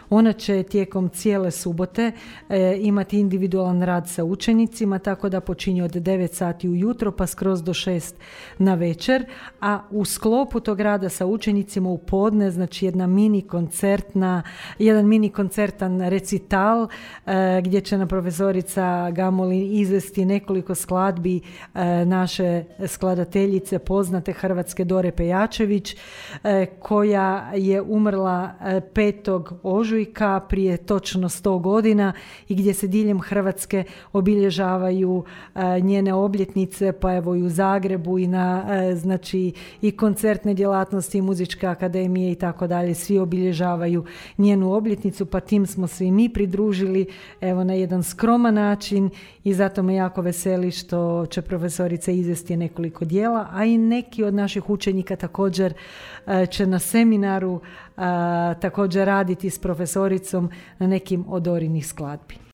Ona će tijekom cijele subote imati individualan rad sa učenicima, tako da počinje od 9 sati ujutro pa skroz do 6 na večer, a u sklopu tog rada sa učenicima u podne, znači jedan mini koncertan recital gdje će nam profesorica Gamolin izvesti nekoliko skladbi naše skladateljice poznate hrvatske Dore Pejačević, koja je umrla 5. ožujka prije točno 100 godina i gdje se diljem Hrvatske obilježavaju njene obljetnice, pa evo i u Zagrebu i na znači i koncertne djelatnosti i muzičke akademije i tako dalje, svi obilježavaju njenu obljetnicu, pa tim smo se i mi pridružili evo na jedan skroman način i zato me jako veseli što će profesorica izvesti nekoliko dijela, a i neki od naših učenika također će na seminaru također raditi s profesoricom na nekim od Dorinih skladbi.